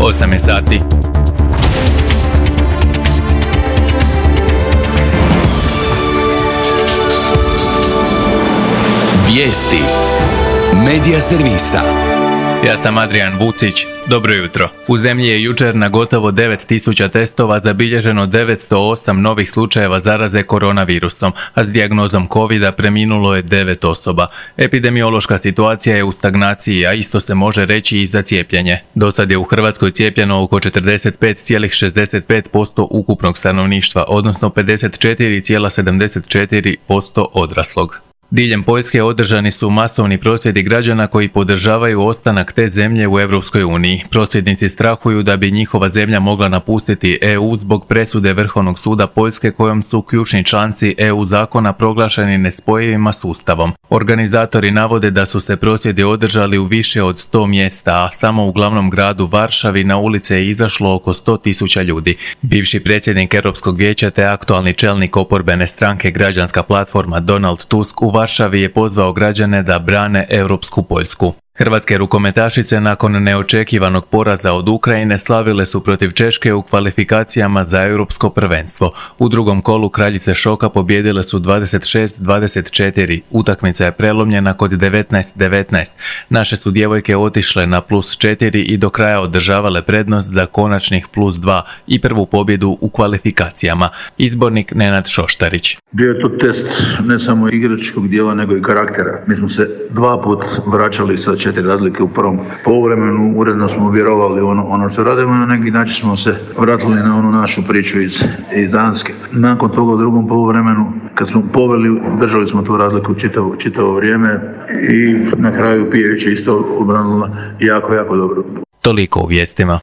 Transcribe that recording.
8 je sati. Vijesti Medija servisa. Ja sam Adrian Vucić. Dobro jutro. U zemlji je jučer na gotovo 9000 testova zabilježeno 908 novih slučajeva zaraze koronavirusom, a s dijagnozom covida preminulo je 9 osoba. Epidemiološka situacija je u stagnaciji, a isto se može reći i za cijepljenje. Dosad je u Hrvatskoj cijepljeno oko 45,65% ukupnog stanovništva, odnosno 54,74% odraslog. Diljem Poljske održani su masovni prosvjedi građana koji podržavaju ostanak te zemlje u Europskoj uniji. Prosvjednici strahuju da bi njihova zemlja mogla napustiti EU zbog presude Vrhovnog suda Poljske kojom su ključni članci EU zakona proglašeni nespojivima s Ustavom. Organizatori navode da su se prosvjedi održali u više od 100 mjesta, a samo u glavnom gradu Varšavi na ulice je izašlo oko 100.000 ljudi. Bivši predsjednik Europskog vijeća te aktualni čelnik oporbene stranke Građanska platforma Donald Tusk u Varšavi je pozvao građane da brane europsku Poljsku. Hrvatske rukometašice nakon neočekivanog poraza od Ukrajine slavile su protiv Češke u kvalifikacijama za europsko prvenstvo. U drugom kolu kraljice šoka pobijedile su 26-24. Utakmica je prelomljena kod 19-19. Naše su djevojke otišle na +4 i do kraja održavale prednost za konačnih +2 i prvu pobjedu u kvalifikacijama. Izbornik Nenad Šoštarić. Bio je to test ne samo igračkog dijela nego i karaktera. Mi smo se 2 puta vraćali sa 4 razlike u prvom poluvremenu, uredno smo vjerovali ono što radimo, na neki način smo se vratili na onu našu priču iz Danske. Nakon toga u drugom poluvremenu, kad smo poveli, držali smo tu razliku čitavo vrijeme i na kraju Pijević je isto obranila jako dobro. Toliko u vijestima.